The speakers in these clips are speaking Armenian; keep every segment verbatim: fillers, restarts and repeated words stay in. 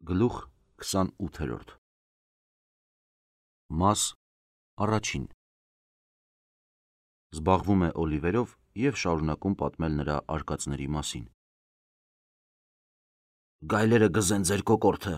Գլուխ քսանութերորդ Մաս առաջին Զբաղվում է Օլիվերով և շարունակում պատմել նրա արկածների մասին։ Գայլերը գզեն ձեր կոկորդը,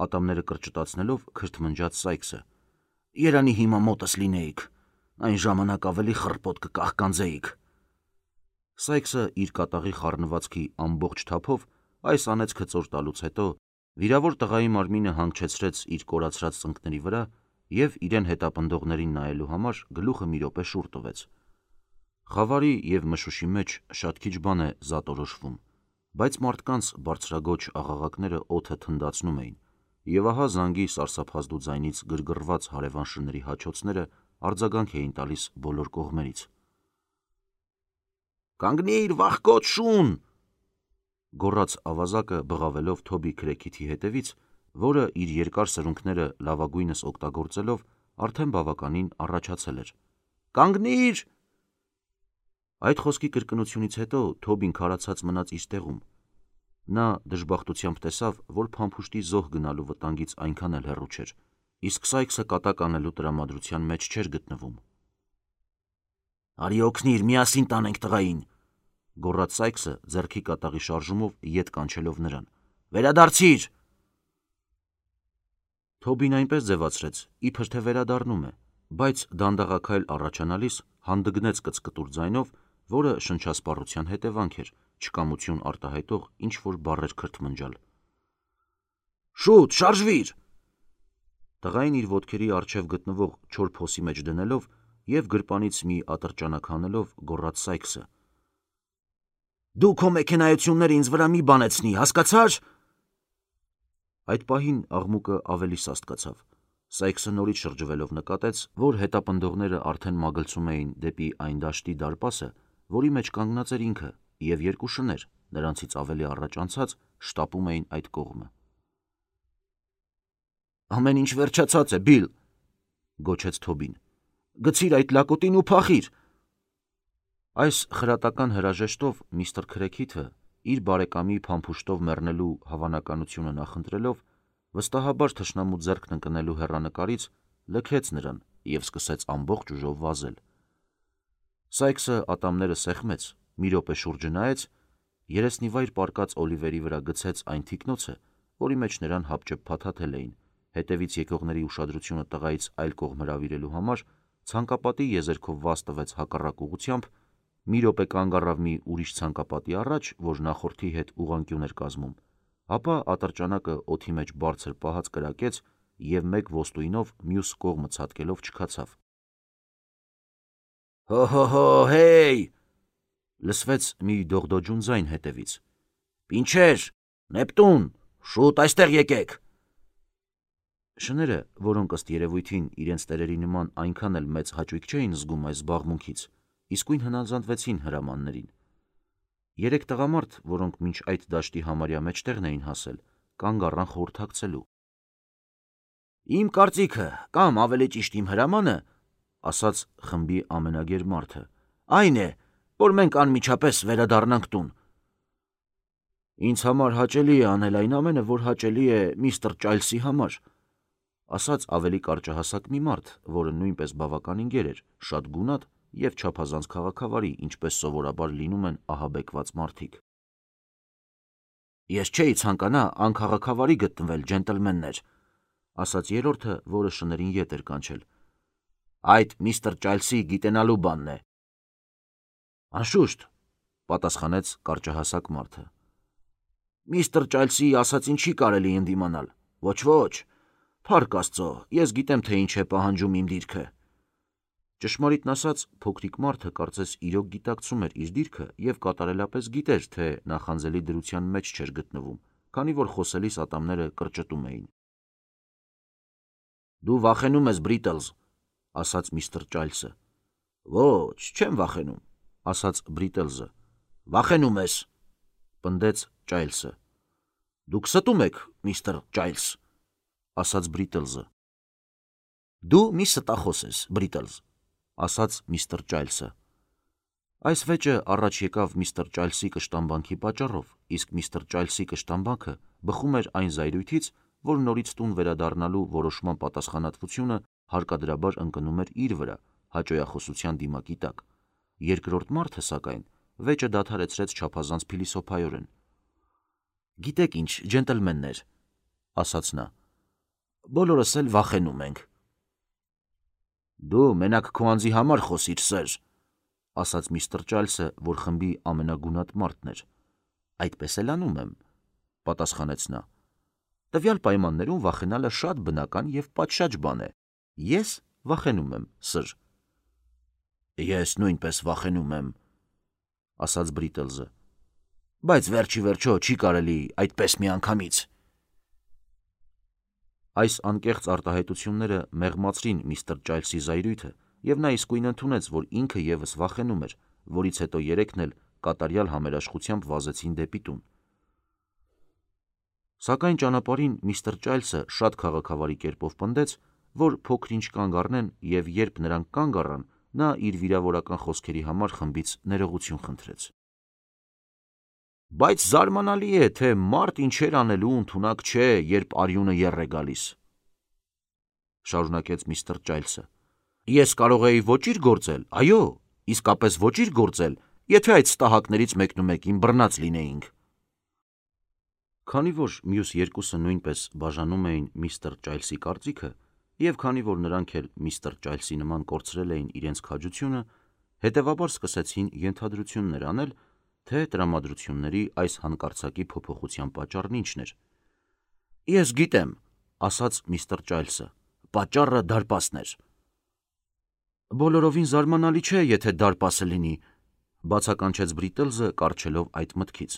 ատամները կրճտացնելով քրթմնջաց Սայքսը։ Երանի հիմա մոտս լինեիք, այն ժամանակ ավելի խռպոտ կկահկանձեիք։ Սայքսը իր կատաղի խառնվածքի ամբողջ թափով այս անեծքը ծոր տալուց հետո վիրավոր տղայի մարմինը հանգչեցրեց իր կորացրած ծնկների վրա և իրեն հետապնդողներին նայելու համար գլուխը մի րոպե շուռ տվեց։ Խավարի և մշուշի մեջ շատ քիչ բան է զատորոշվում, բայց մարդկանց բարձրագոչ աղաղակները օդը թնդացնում էին, և ահա զանգի սարսափազդու ձայնից գրգռված հարևան շների հաչոցները արձագանք էին տալիս բոլոր կողմերից։ «Կանգնի՛ր, վախկոտ շուն», գոռաց ավազակը բղավելով Թոբի Քրեքիթի հետևից, որը իր երկար սրունքները լավագույնս օգտագործելով արդեն բավականին առաջացել էր։ «Կանգնի՛ր»։ Այդ խոսքի կրկնությունից հետո Թոբին քարացած մնաց իր տեղում։ Նա դժբախտությամբ տեսավ, որ փամփուշտի զոհ գնալու վտանգից այնքան էլ հեռու չէր, իսկ Սայքսը կատակ անելու տրամադրության մեջ չէր գտնվում։ «Արի օգնիր, միասին տանենք տղային», գոռաց Սայքսը ձեռքի կատաղի շարժումով ետ կանչելով նրան։ «Վերադարձի՛ր»։ Թոբին այնպես ձևացրեց, իբր թե վերադառնում է, բայց դանդաղաքայլ առաջանալիս հանդգնեց կծկտուր ձայնով, որը շնչասպառության հետևանք էր, չկամություն արտահայտող ինչ-որ բառեր քրթմնջալ։ «Շուտ, շարժվիր»։ Տղային իր ոտքերի առջև գտնվող չոր փոսի մեջ դնելով և գրպանից մի ատրճանակ հանելով գոռաց Սայքսը։ «Դու քո մեքենայությունները ինձ վրա մի բանեցնի, հասկացա՞ր»։ Այդ պահին աղմուկը ավելի սաստկացավ։ Սայքսը նորից շրջվելով նկատեց, որ հետապնդողները արդեն մագլցում էին դեպի այն դաշտի դարպասը, որի մեջ կանգնած էր ինքը, և երկու շներ, նրանցից ավելի առաջ անցած, շտապում էին այդ կողմը։ «Ամեն ինչ վերջացած է, Բիլ», գոչեց Թոբին։ «Գցիր այդ լակոտին ու փախիր»։ Այս խրատական հրաժեշտով միստր Քրեքիթը, իր բարեկամի փամփուշտով մեռնելու հավանականությունը նախընտրելով, վստահաբար թշնամու ձեռքն ընկնելու հեռանկարից, լքեց նրան և սկսեց ամբողջ ուժով վազել։ Սայքսը ատամները սեղմեց, մի րոպե շուրջը նայեց, երեսնիվայր պառկած Օլիվերի վրա գցեց այն թիկնոցը, որի մեջ նրան հապճեպ փաթաթել էին, հետևից եկողների ուշադրությունը տղայից այլ կողմ հրավիրելու համար, ցանկապատի եզերքով վազ տվեց հակառակ ուղղությամբ, մի րոպե կանգ առավ մի ուրիշ ցանկապատի առաջ, որ նախորդի հետ ուղղանկյուն էր կազմում, ապա ատրճանակը օդի մեջ բարձր պահած կրակեց և մեկ ոստույնով մյուս կողմը ցատկելով չքացավ։ «Հո՛հո՛հո, հե՜յ», լսվեց մի դողդոջուն ձայն հետևից։ «Պինչեր, Նեպտուն, շուտ այստեղ եկեք»։ Շները, որոնք ըստ երևույթին իրենց տերերի նման այնքան էլ մեծ հաճույք չէին զգում այս զբաղմունքից, իսկույն հնազանդվեցին հրամաններին։ Երեք տղամարդ, որոնք մինչ այդ դաշտի համարյա մեջտեղն էին հասել, կանգ առան խորհրդակցելու։ «Իմ կարծիքը, կամ ավելի ճիշտ իմ հրամանը, ասաց խմբի ամենագեր մարդը, այն է, որ մենք անմիջապես վերադառնանք տուն»։ «Ինձ համար հաճելի է անել այն ամենը, որ հաճելի է միստր Ճայլսի համար», ասաց ավելի կարճահասակ մի մարդ, որը նույնպես բավականին գեր էր, շատ գունատ և չափազանց քաղաքավարի, ինչպես սովորաբար լինում են ահաբեկված մարդիկ։ «Ես չէի ցանկանա անքաղաքավարի գտնվել, ջենտլմեններ», ասաց երրորդը, որը շներին ետ էր կանչել։ «Այդ միստր Ճայլսի գիտենալու բանն է»։ «Անշուշտ», պատասխանեց կարճահասակ մարդը։ «Միստր Ճայլսի ասածին չի կարելի ընդդիմանալ։ Ոչ, փառք Աստծո, ես գիտեմ, թե ինչ է պահանջում իմ դիրքը»։ Ճշմարիտն ասած, փոքրիկ մարդը կարծես իրոք գիտակցում էր իր դիրքը և կատարելապես գիտեր, թե նախանձելի դրության մեջ չէր գտնվում, քանի որ խոսելիս ատամները կրճտում էին։ «Դու վախենում ես, Բրիտլզ», ասաց միստր Ճայլսը։ «Ոչ, չեմ վախենում», ասաց Բրիտլզը։ «Վախենում ես», պնդեց Ճայլսը։ «Դուք ստում եք, միստր Ճայլս», ասաց Բրիտլզը։ «Դու մի ստախոս ես, Բրիտլզ», ասաց միստր Ճայլսը։ Այս վեճը առաջ եկավ միստր Ճայլսի կշտամբանքի պատճառով, իսկ միստր Ճայլսի կշտամբանքը բխում էր այն զայրույթից, որ նորից տուն վերադառնալու որոշման պատասխանատվությունը հարկադրաբար ընկնում էր իր վրա, հաճոյախոսության դիմակի տակ։ Երկրորդ մարդը, սակայն, վեճը դադարեցրեց չափազանց փիլիսոփայորեն։ «Գիտեք ինչ, ջենտլմեններ», ասաց նա, «բոլորս էլ վախենում ենք»։ «Դու մենակ քո անձի համար խոսիր, սեր», ասաց միստր Ճայլսը, որ խմբի ամենագունատ մարդն էր։ «Այդպես էլ անում եմ», պատասխանեց նա։ «Տվյալ պայմաններում վախենալը շատ բնական և պատշաճ բան է։ Ես վախենում եմ, սր»։ «Ես նույնպես վախենում եմ», ասաց Բրիտլզը, «բայց վերջի վերջո չի կարելի այդպես միանգամից»։ Այս անկեղծ արտահայտությունները մեղմացրին միստր Ճայլսի զայրույթը, և նա իսկույն ընդունեց, որ ինքը ևս վախենում էր, որից հետո երեքն էլ կատարյալ համերաշխությամբ վազեցին դեպի տուն։ Սակայն ճանապարհին միստր Ճայլսը շատ քաղաքավարի կերպով պնդեց, որ փոքր-ինչ կանգ առնեն, և երբ նրանք կանգ առան, նա իր վիրավորական խոսքերի համար խմբից ներողություն խնդրեց։ «Բայց զարմանալի է, թե մարդ ինչեր անելու ընդունակ չէ, երբ արյունը եռ է գալիս», շարունակեց միստր Ճայլսը։ «Ես կարող էի ոճիր գործել, այո, իսկապես ոճիր գործել, եթե այդ ստահակներից մեկնումեկին բռնած լինեինք»։ Քանի որ մյուս երկուսը նույնպես բաժանում էին միստր Ճայլսի կարծիքը, և քանի որ նրանք էլ միստր Ճայլսի նման կորցրել էին իրենց քաջությունը, հետևաբար սկսեցին ենթադրություններ անել, թե տրամադրությունների այս հանկարծակի փոփոխության պատճառն ինչն էր։ «Ես գիտեմ», ասաց միստր Ճայլսը, «պատճառը դարպասն էր»։ «Բոլորովին զարմանալի չէ, եթե դարպասը լինի», բացականչեց Բրիտլզը, կառչելով այդ մտքից։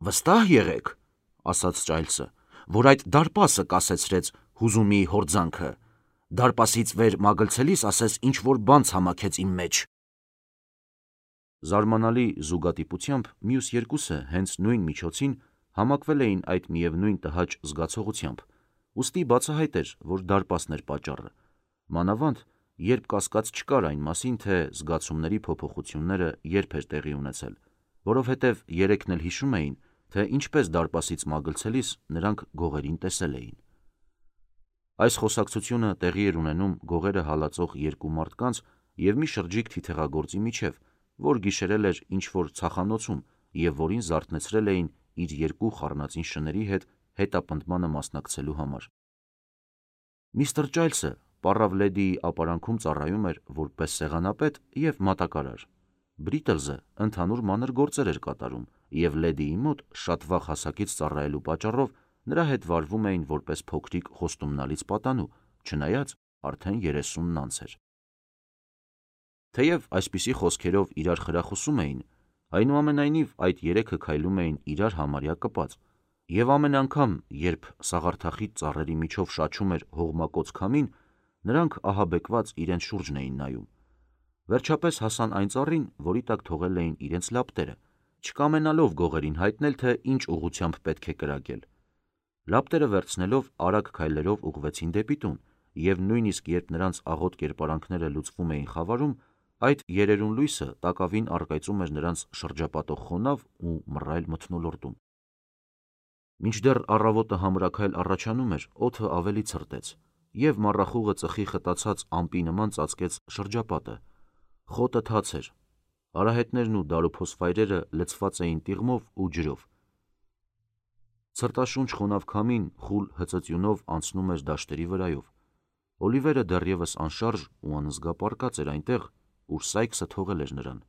«Վստահ եղեք», ասաց Ճայլսը, «որ այդ դարպասը կասեցրեց հուզումի հորձանքը։ Դարպասից վեր մագլցելիս ասես ինչ-որ բան ցամաքեց իմ մեջ»։ Զարմանալի զուգատիպությամբ մյուս երկուսը հենց նույն միջոցին համակվել էին այդ միևնույն տհաճ զգացողությամբ, ուստի բացահայտ էր, որ դարպասն էր պատճառը, մանավանդ, երբ կասկած չկար այն մասին, թե զգացումների փոփոխությունները երբ էր տեղի ունեցել, որովհետև երեքն էլ հիշում էին, թե ինչպես դարպասից մագլցելիս նրանք գողերին տեսել էին։ Այս խոսակցությունը տեղի էր ունենում գողերը հալածող երկու մարդկանց և մի շրջիկ թիթեղագործի միջև, որ գիշերել էր ինչ-որ ցախանոցում և որին զարթնեցրել էին իր երկու խառնածին շների հետ հետապնդմանը մասնակցելու համար։ Միստր Ճայլսը պառավ լեդիի ապարանքում ծառայում էր որպես սեղանապետ և մատակարար։ Բրիտլզը ընդհանուր մանր գործեր էր կատարում, և լեդիի մոտ շատ վաղ հասակից ծառայելու պատճառով նրա հետ վարվում էին որպես փոքրիկ խոստումնալից պատանու, չնայած արդեն երեսունն անց էր։ Թեև այսպիսի խոսքերով իրար խրախուսում էին, այնուամենայնիվ այդ երեքը քայլում էին իրար համարյա կպած, և ամեն անգամ, երբ սաղարթախիտ ծառերի միջով շաչում էր հողմակոծ քամին, նրանք ահաբեկված իրենց շուրջն էին նայում։ Վերջապես հասան այն ծառին, որի տակ թողել էին իրենց լապտերը, չկամենալով գողերին հայտնել, թե ինչ ուղղությամբ պետք է կրակել։ Լապտերը վերցնելով արագ քայլերով ուղղվեցին դեպի տուն, և նույնիսկ երբ նրանց աղոտ կերպարանքները լուծվում էին խավարում, այդ երերուն լույսը տակավին առկայծում էր նրանց շրջապատող խոնավ ու մռայլ մթնոլորտում։ Մինչդեռ առավոտը համրաքայլ առաջանում էր, օդը ավելի ցրտեց, և մառախուղը ծխի խտացած ամպի նման ծածկեց շրջապատը։ Խոտը թաց էր, արահետներն ու դարոփոս վայրերը լցված էին տիղմով ու ջրով։ Ցրտաշունչ խոնավ քամին խուլ հծծյունով անցնում էր դաշտերի վրայով։ Օլիվերը դեռևս անշարժ ու անզգա պառկած էր այնտեղ, ուր Սայքսը թողել էր նրան։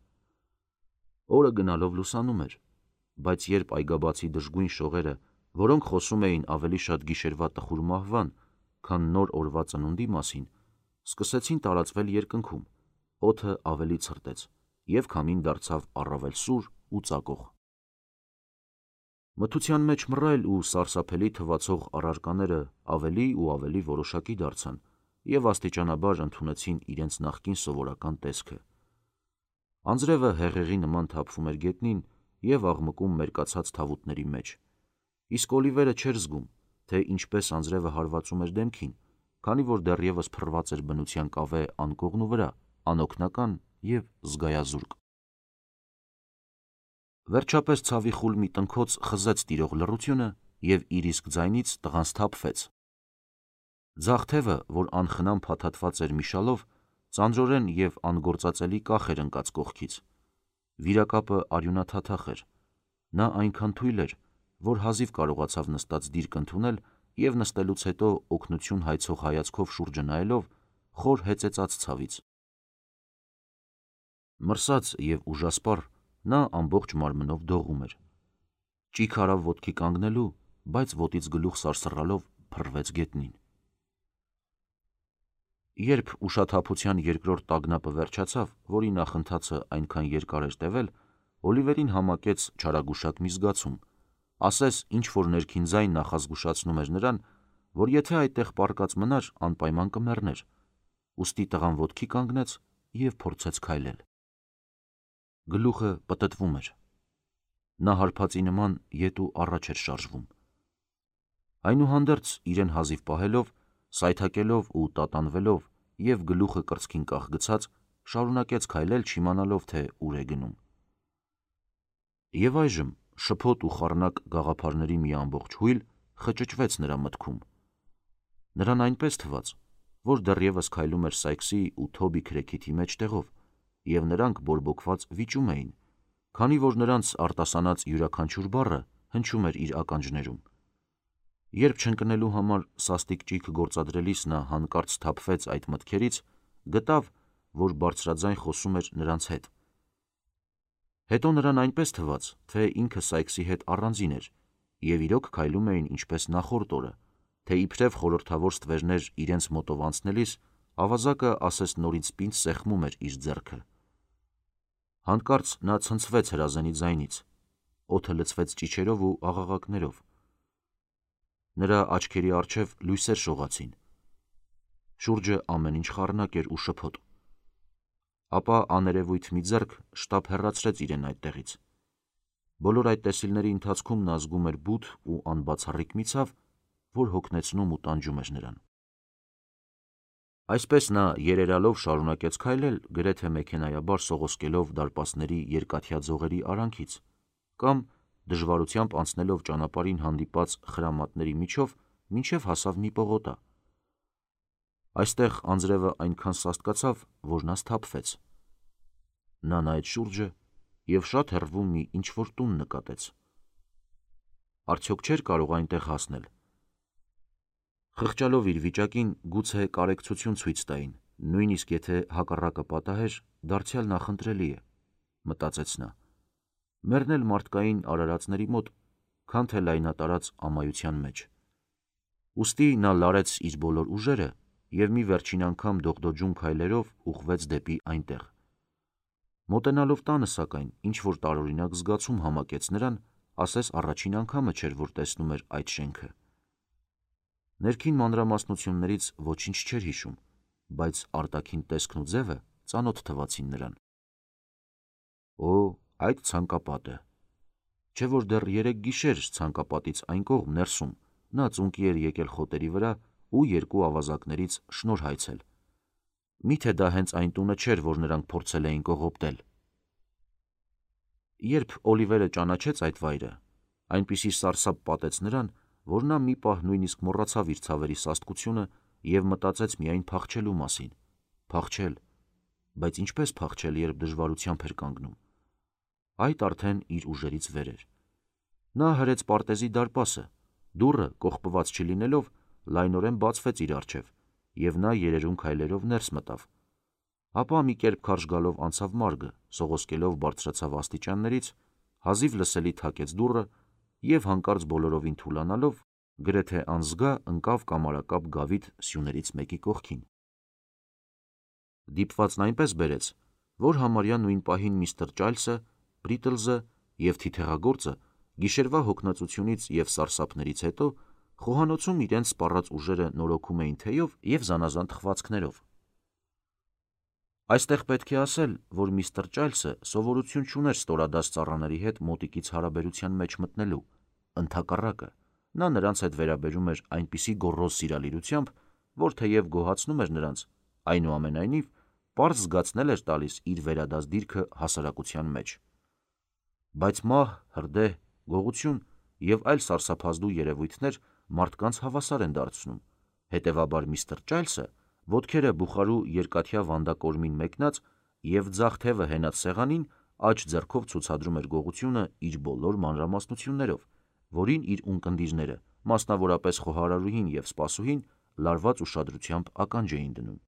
Օրը գնալով լուսանում էր, բայց երբ այգաբացի դժգույն շողերը, որոնք խոսում էին ավելի շատ գիշերվա տխուր մահվան, քան նոր օրվա ծնունդի մասին, սկսեցին տարածվել երկնքում, օդը ավելի ցրտեց, և քամին դարձավ առավել սուր ու ծակող։ Մթության մեջ մռայլ ու սարսափելի թվացող առարկաները ավելի ու ավելի որոշակի դարձան և աստիճանաբար ընդունեցին իրենց նախկին սովորական տեսքը։ Անձրևը հեղեղի նման թափվում էր գետնին և աղմկում մերկացած թավուտների մեջ, իսկ Օլիվերը չէր զգում, թե ինչպես անձրևը հարվածում էր դեմքին, քանի որ դեռևս փռված էր բնության կավե անկողնու վրա, անօգնական և զգայազուրկ։ Վերջապես ցավի խուլ մի տնքոց խզեց տիրող լռությունը, և իր իսկ ձայնից տղան սթափվեց։ Ձախ թևը, որ անխնամ փաթաթված էր մի շալով, ծանրորեն և անգործածելի կախ էր ընկած կողքից։ Վիրակապը արյունաթաթախ էր։ Նա այնքան թույլ էր, որ հազիվ կարողացավ նստած դիրք ընդունել և նստելուց հետո օգնություն հայցող հայացքով շուրջը նայելով խոր հեծեծաց ցավից։ Մրսած և ուժասպառ, նա ամբողջ մարմնով դողում էր։ Ճիգ արավ ոտքի կանգնելու, բայց ոտից գլուխ սարսռալով փռվեց գետնին։ Երբ ուշաթափության երկրորդ տագնապը վերջացավ, որի նախընթացը այնքան երկար էր տևել, Օլիվերին համակեց չարագուշակ մի զգացում, ասես ինչ-որ ներքին ձայն նախազգուշացնում էր նրան, որ եթե այդտեղ պառկած մնար, անպայման կմեռներ, ուստի տղան ոտքի կանգնեց և փորձեց քայլել։ Գլուխը պտտվում էր։ Նա հարբածի նման ետ ու առաջ էր շարժվում։ Այնուհանդերձ, իրեն հազիվ պահելով, սայթաքելով ու տատանվելով և գլուխը կրծքին կախ գցած, շարունակեց քայլել, չիմանալով, թե ուր է գնում։ Եվ այժմ շփոթ ու խառնակ գաղափարների մի ամբողջ հույլ խճճվեց նրա մտքում։ Նրան այնպես թվաց, որ դեռևս քայլում էր Սայքսի ու Թոբի քրեքիթի մեջտեղով, և նրանք բորբոքված վիճում էին, քանի որ նրանց արտասանած յուրաքանչյուր բառը հնչում էր իր ականջներում։ Երբ չընկնելու համար սաստիկ ճիգ գործադրելիս նա հանկարծ սթափվեց այդ մտքերից, գտավ, որ բարձրաձայն խոսում էր նրանց հետ։ Հետո նրան այնպես թվաց, թե ինքը Սայքսի հետ առանձին էր, և իրոք քայլում էին ինչպես նախորդ օրը, թե իբրև խորհրդավոր ստվերներ իրենց մոտով անցնելիս ավազակը ասես նորից պինդ սեղմում էր իր ձեռքը։ Հանկարծ նա ցնցվեց հրազենի ձայնից, օդը լցվեց ճիչերով ու աղաղակներով։ Նրա աչքերի առջև լույսեր շողացին։ Շուրջը ամեն ինչ խառնակ էր ու շփոթ։ Ապա աներևույթ մի ձեռք շտապ հեռացրեց իրեն այդտեղից։ Բոլոր այդ տեսիլների ընթացքում նա զգում էր բութ ու անբացառիկ մի ցավ, որ հոգնեցնում ու տանջում էր նրան։ Այսպես նա երերալով շարունակեց քայլել, գրեթե մեքենայաբար սողոսկելով դարպասների երկաթյա ձողերի արանքից, կամ դժվարությամբ անցնելով ճանապարհին հանդիպած խրամատների միջով, մինչև հասավ մի պողոտա։ Այստեղ անձրևը այնքան սաստկացավ, որ նա սթափվեց։ Նա նայեց շուրջը և շատ հեռվում մի ինչ-որ տուն նկատեց։ Արդյոք չէր կարող այնտեղ հասնել։ Խղճալով իր վիճակին, գուցե կարեկցություն ցույց տային, նույնիսկ եթե հակառակը պատահեր, դարձյալ նախընտրելի է, մտածեց նա, մեռնել մարդկային արարածների մոտ, քան թե լայնատարած ամայության մեջ։ Ուստի նա լարեց իր բոլոր ուժերը և մի վերջին անգամ դողդոջուն քայլերով ուղղվեց դեպի այնտեղ։ Մոտենալով տանը, սակայն, ինչ-որ տարօրինակ զգացում համակեց նրան, ասես առաջին անգամը չէր, որ տեսնում էր այդ շենքը։ Ներքին մանրամասնություններից ոչինչ չէր հիշում, բայց արտաքին տեսքն ու ձևը ծանոթ թվացին նրան։ Օ, այդ ցանկապատը։ Չէ որ դեռ երեկ գիշեր ցանկապատից այն կողմ ներսում նա ծունկի էր եկել խոտերի վրա ու երկու ավազակներից շնորհ հայցել։ Մի՞թե դա հենց այն տունը չէր, որ նրանք փորձել էին կողոպտել։ Երբ Օլիվերը ճանաչեց այդ վայրը, այնպիսի սարսափ պատեց նրան, որ նա մի պահ նույնիսկ մոռացավ իր ցավերի սաստկությունը և մտածեց միայն փախչելու մասին։ Փախչել, բայց ինչպես փախչել, երբ դժվարությամբ էր կանգնում։ Այդ արդեն իր ուժերից վեր էր։ Նա հրեց պարտեզի դարպասը, դուռը, կողպված չլինելով, լայնորեն բացվեց իր առջև, և նա երերուն քայլերով ներս մտավ։ Ապա մի կերպ քարշ գալով անցավ մարգը, սողոսկելով բարձրացավ աստիճաններից, հազիվ լսելի թակեց դուռը և հանկարծ բոլորովին թուլանալով, գրեթե անզգա ընկավ կամարակապ գավիթ սյուներից մեկի կողքին։ Դիպվածն այնպես բերեց, որ համարյա նույն պահին միստր Ճայլսը, Բրիտլզը և թիթեղագործը գիշերվա հոգնածությունից և սարսափներից հետո խոհանոցում իրենց սպառած ուժերը նորոգում էին թեյով և զանազան թխվածքներով։ Այստեղ պետք է ասել, որ միստր Ճայլսը սովորություն չուներ ստորադաս ծառաների հետ մոտիկից հարաբերության մեջ մտնելու, ընդհակառակը, նա նրանց հետ վերաբերում էր այնպիսի գոռոզ սիրալիրությամբ, որ թեև գոհացնում էր նրանց, այնուամենայնիվ պարզ զգացնել էր տալիս իր վերադաս դիրքը հասարակության մեջ։ Բայց մահ, հրդեհ, գողություն և այլ սարսափազդու երևույթներ մարդկանց հավասար են դարձնում։ Հետևաբար միստր Ճայլսը ոտքերը բուխարու երկաթյա վանդակորմին մեկնած և ձախ թևը հենած սեղանին աջ ձեռքով ցուցադրում էր գողությունը իր բոլոր մանրամասնություններով, որին իր ունկնդիրները, մասնավորապես խոհարարուհին և սպասուհին, լարված ուշադրությամբ ականջ էին դնում։